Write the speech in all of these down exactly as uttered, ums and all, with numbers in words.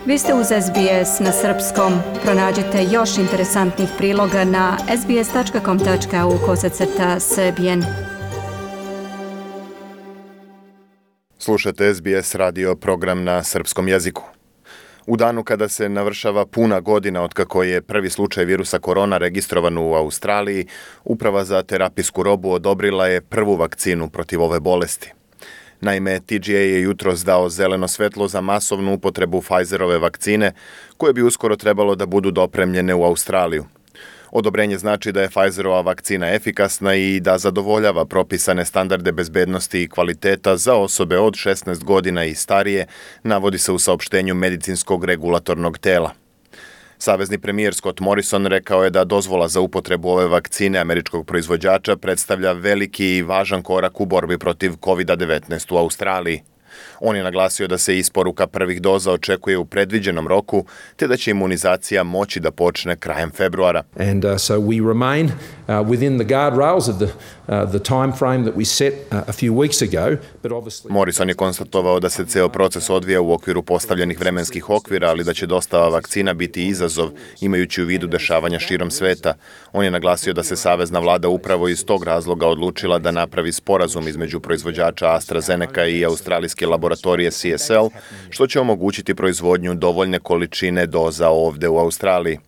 Vi ste uz S B S na srpskom. Pronađite još interesantnih priloga na sbs.com.au kosacrta srbijen. Slušate S B S radio program na srpskom jeziku. U danu kada se navršava puna godina otkako je prvi slučaj virusa korona registrovan u Australiji, Uprava za terapijsku robu odobrila je prvu vakcinu protiv ove bolesti. Naime, T G A je jutros dao zeleno svetlo za masovnu upotrebu Pfizerove vakcine, koje bi uskoro trebalo da budu dopremljene u Australiju. Odobrenje znači da je Pfizerova vakcina efikasna i da zadovoljava propisane standarde bezbednosti i kvaliteta za osobe od šesnaest godina i starije, navodi se u saopštenju medicinskog regulatornog tela. Savezni premijer Scott Morrison rekao je da dozvola za upotrebu ove vakcine američkog proizvođača predstavlja veliki i važan korak u borbi protiv kovid devetnaest u Australiji. On je naglasio da se isporuka prvih doza očekuje u predviđenom roku, te da će imunizacija moći da počne krajem februara. And uh, so we remain uh, within the guardrails of the uh, the time frame that we set uh, a few weeks ago, but obviously Morrison je konstatovao da se ceo proces odvija u okviru postavljenih vremenskih okvira, ali da će dostava vakcina biti izazov, imajući u vidu dešavanja širom sveta. On je naglasio da se savezna vlada upravo iz tog razloga odlučila da napravi sporazum između proizvođača AstraZeneca i australijske laboratorije C S L, što će omogućiti proizvodnju dovoljne količine doza ovde u Australiji.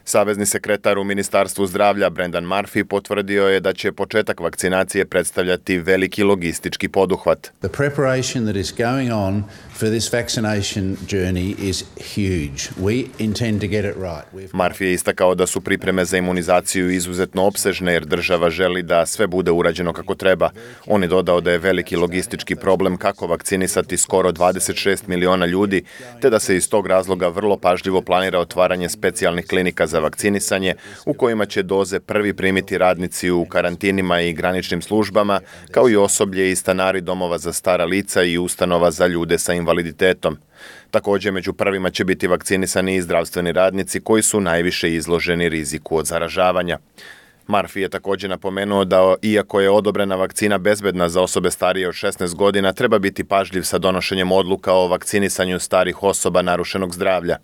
Savezni sekretar u Ministarstvu zdravlja Brendan Murphy potvrdio je da će početak vakcinacije predstavljati veliki logistički poduhvat. The preparation that is going on for this vaccination journey is huge. We intend to get it right. Murphy je istakao da su pripreme za imunizaciju izuzetno opsežne jer država želi da sve bude urađeno kako treba. On je dodao da je veliki logistički problem kako vakcinisati skoro dvadeset šest miliona ljudi, te da se iz tog razloga vrlo pažljivo planira otvaranje specijalnih klinika za vakcinisanje u kojima će doze prvi primiti radnici u karantinima i graničnim službama, kao i osoblje i stanari domova za stara lica i ustanova za ljude sa invaliditetom. Također, među prvima će biti vakcinisani i zdravstveni radnici koji su najviše izloženi riziku od zaražavanja. Murphy je također napomenuo da, iako je odobrena vakcina bezbedna za osobe starije od šesnaest godina, treba biti pažljiv sa donošenjem odluka o vakcinisanju starih osoba narušenog zdravlja.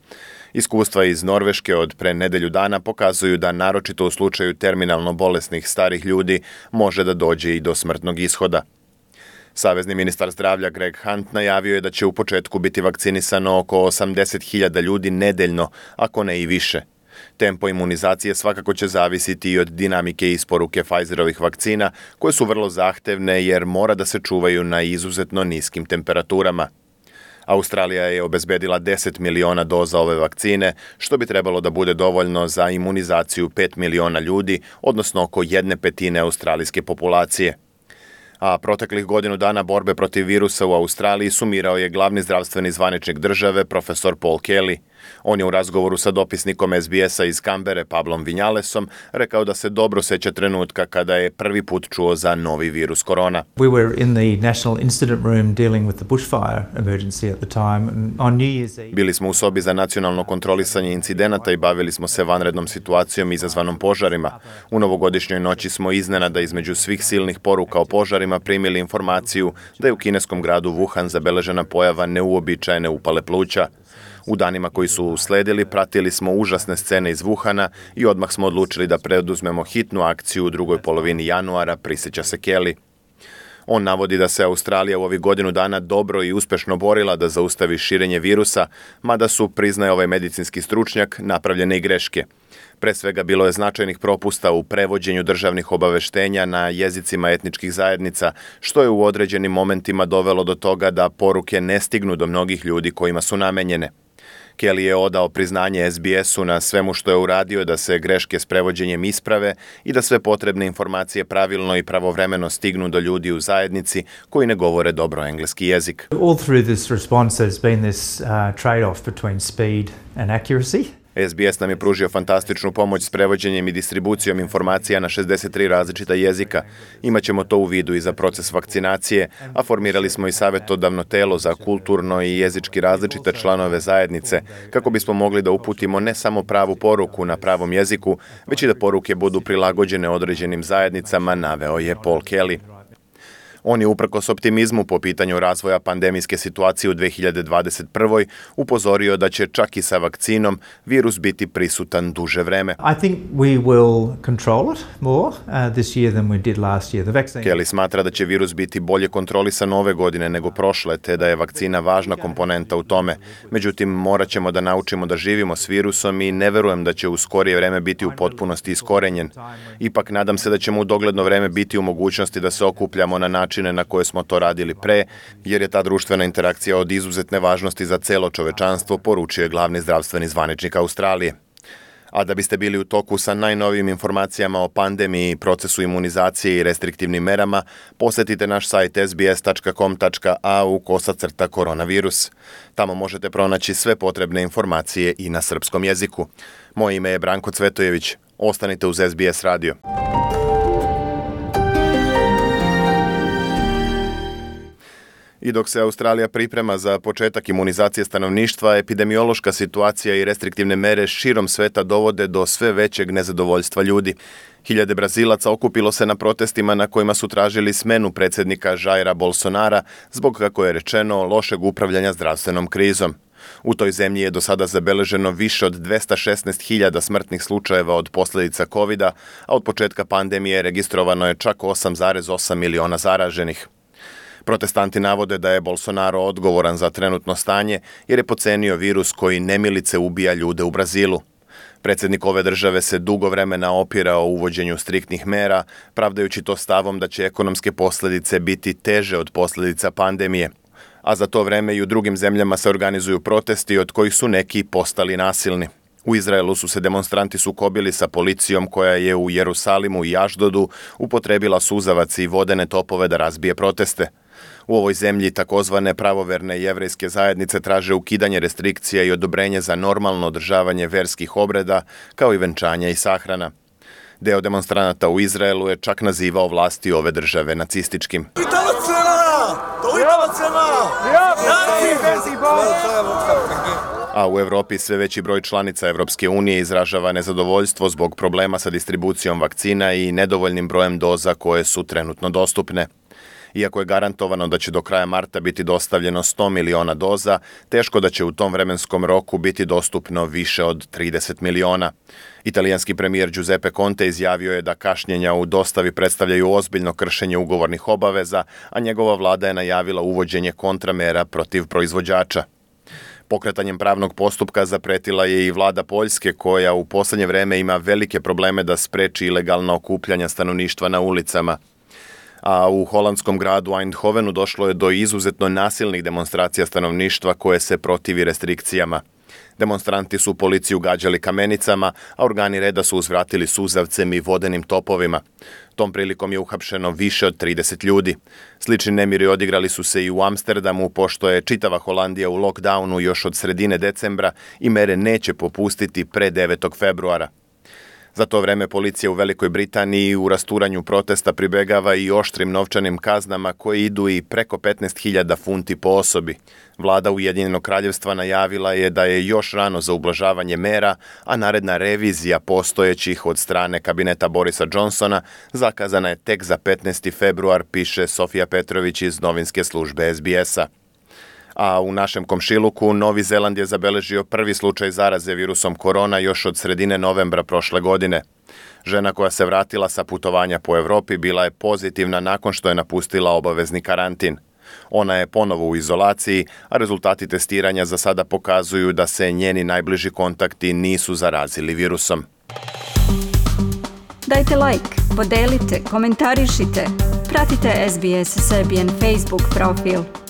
Iskustva iz Norveške od pre nedelju dana pokazuju da naročito u slučaju terminalno bolesnih starih ljudi može da dođe i do smrtnog ishoda. Savezni ministar zdravlja Greg Hunt najavio je da će u početku biti vakcinisano oko osamdeset hiljada ljudi nedeljno, ako ne i više. Tempo imunizacije svakako će zavisiti i od dinamike isporuke Pfizerovih vakcina, koje su vrlo zahtevne jer mora da se čuvaju na izuzetno niskim temperaturama. Australija je obezbedila deset miliona doza ove vakcine, što bi trebalo da bude dovoljno za imunizaciju pet miliona ljudi, odnosno oko jedne petine australijske populacije. A proteklih godinu dana borbe protiv virusa u Australiji sumirao je glavni zdravstveni zvaničnik države, profesor Paul Kelly. On je u razgovoru sa dopisnikom S B S-a iz Kambere, Pablom Vinjalesom, rekao da se dobro seća trenutka kada je prvi put čuo za novi virus korona. We were in the National Incident Room dealing with the bushfire emergency at the time. On New Year's Eve... Bili smo u sobi za nacionalno kontrolisanje incidenata i bavili smo se vanrednom situacijom izazvanom požarima. U novogodišnjoj noći smo iznenada između svih silnih poruka o požarima primili informaciju da je u kineskom gradu Wuhan zabeležena pojava neuobičajene upale pluća. U danima koji su usledili pratili smo užasne scene iz Wuhana i odmah smo odlučili da preduzmemo hitnu akciju u drugoj polovini januara, prisjeća se Kelly. On navodi da se Australija u ovih godinu dana dobro i uspešno borila da zaustavi širenje virusa, mada su, priznaje ovaj medicinski stručnjak, napravljene i greške. Pre svega bilo je značajnih propusta u prevođenju državnih obaveštenja na jezicima etničkih zajednica, što je u određenim momentima dovelo do toga da poruke ne stignu do mnogih ljudi kojima su namenjene. Kelly je odao priznanje S B S-u na svemu što je uradio da se greške s prevođenjem isprave i da sve potrebne informacije pravilno i pravovremeno stignu do ljudi u zajednici koji ne govore dobro engleski jezik. All through this response there's been this uh, trade-off between speed and accuracy. S B S nam je pružio fantastičnu pomoć s prevođenjem i distribucijom informacija na šezdeset tri različita jezika. Imaćemo to u vidu i za proces vakcinacije, a formirali smo i savjetodavno telo za kulturno i jezički različite članove zajednice, kako bismo mogli da uputimo ne samo pravu poruku na pravom jeziku, već i da poruke budu prilagođene određenim zajednicama, naveo je Paul Kelly. On je uprkos optimizmu po pitanju razvoja pandemijske situacije u dve hiljade dvadeset prvoj upozorio da će čak i sa vakcinom virus biti prisutan duže vreme. I think we will control it more uh, this year than we did last year. The vaccine... Kelly smatra da će virus biti bolje kontrolisan ove godine nego prošle, te da je vakcina važna komponenta u tome. Međutim, morat ćemo da naučimo da živimo s virusom i ne verujem da će u skorije vreme biti u potpunosti iskorenjen. Ipak nadam se da ćemo u dogledno vreme biti u mogućnosti da se okupljamo na načine na koje smo to radili pre, jer je ta društvena interakcija od izuzetne važnosti za celo čovečanstvo, poručio je glavni zdravstveni zvaničnik Australije. A da biste bili u toku sa najnovijim informacijama o pandemiji, procesu imunizacije i restriktivnim merama, posetite naš sajt s b s tačka com tačka a u kosacrta koronavirus. Tamo možete pronaći sve potrebne informacije i na srpskom jeziku. Moje ime je Branko Cvetojević. Ostanite uz S B S radio. I dok se Australija priprema za početak imunizacije stanovništva, epidemiološka situacija i restriktivne mere širom sveta dovode do sve većeg nezadovoljstva ljudi. Hiljade Brazilaca okupilo se na protestima na kojima su tražili smenu predsjednika Jaira Bolsonara zbog, kako je rečeno, lošeg upravljanja zdravstvenom krizom. U toj zemlji je do sada zabeleženo više od dvesta šesnaest hiljada smrtnih slučajeva od posljedica kovida, a od početka pandemije registrovano je čak osam zarez osam miliona zaraženih. Protestanti navode da je Bolsonaro odgovoran za trenutno stanje jer je pocenio virus koji nemilice ubija ljude u Brazilu. Predsjednik ove države se dugo vremena opirao uvođenju striktnih mera, pravdajući to stavom da će ekonomske posljedice biti teže od posljedica pandemije. A za to vreme i u drugim zemljama se organizuju protesti od kojih su neki postali nasilni. U Izraelu su se demonstranti sukobili sa policijom koja je u Jerusalimu i Ašdodu upotrebila suzavac i vodene topove da razbije proteste. U ovoj zemlji takozvane pravoverne jevrejske zajednice traže ukidanje restrikcija i odobrenje za normalno održavanje verskih obreda, kao i venčanja i sahrana. Deo demonstranata u Izraelu je čak nazivao vlasti ove države nacističkim. A u Evropi sve veći broj članica Evropske unije izražava nezadovoljstvo zbog problema sa distribucijom vakcina i nedovoljnim brojem doza koje su trenutno dostupne. Iako je garantovano da će do kraja marta biti dostavljeno sto miliona doza, teško da će u tom vremenskom roku biti dostupno više od trideset miliona. Italijanski premijer Giuseppe Conte izjavio je da kašnjenja u dostavi predstavljaju ozbiljno kršenje ugovornih obaveza, a njegova vlada je najavila uvođenje kontramera protiv proizvođača. Pokretanjem pravnog postupka zapretila je i vlada Poljske, koja u posljednje vreme ima velike probleme da spreči ilegalna okupljanja stanovništva na ulicama. A u holandskom gradu Eindhovenu došlo je do izuzetno nasilnih demonstracija stanovništva koje se protivi restrikcijama. Demonstranti su policiju gađali kamenicama, a organi reda su uzvratili suzavcem i vodenim topovima. Tom prilikom je uhapšeno više od trideset ljudi. Slični nemiri odigrali su se i u Amsterdamu, pošto je čitava Holandija u lockdownu još od sredine decembra i mere neće popustiti pre devetog februara. Za to vreme policija u Velikoj Britaniji u rasturanju protesta pribegava i oštrim novčanim kaznama koje idu i preko petnaest hiljada funti po osobi. Vlada Ujedinjenog kraljevstva najavila je da je još rano za ublažavanje mera, a naredna revizija postojećih od strane kabineta Borisa Johnsona zakazana je tek za petnaesti februar, piše Sofija Petrović iz novinske službe S B S-a. A u našem komšiluku Novi Zeland je zabeležio prvi slučaj zaraze virusom korona još od sredine novembra prošle godine. Žena koja se vratila sa putovanja po Evropi bila je pozitivna nakon što je napustila obavezni karantin. Ona je ponovo u izolaciji, a rezultati testiranja za sada pokazuju da se njeni najbliži kontakti nisu zarazili virusom. Dajte like, podelite, komentarišite, pratite S B S Serbian Facebook profil.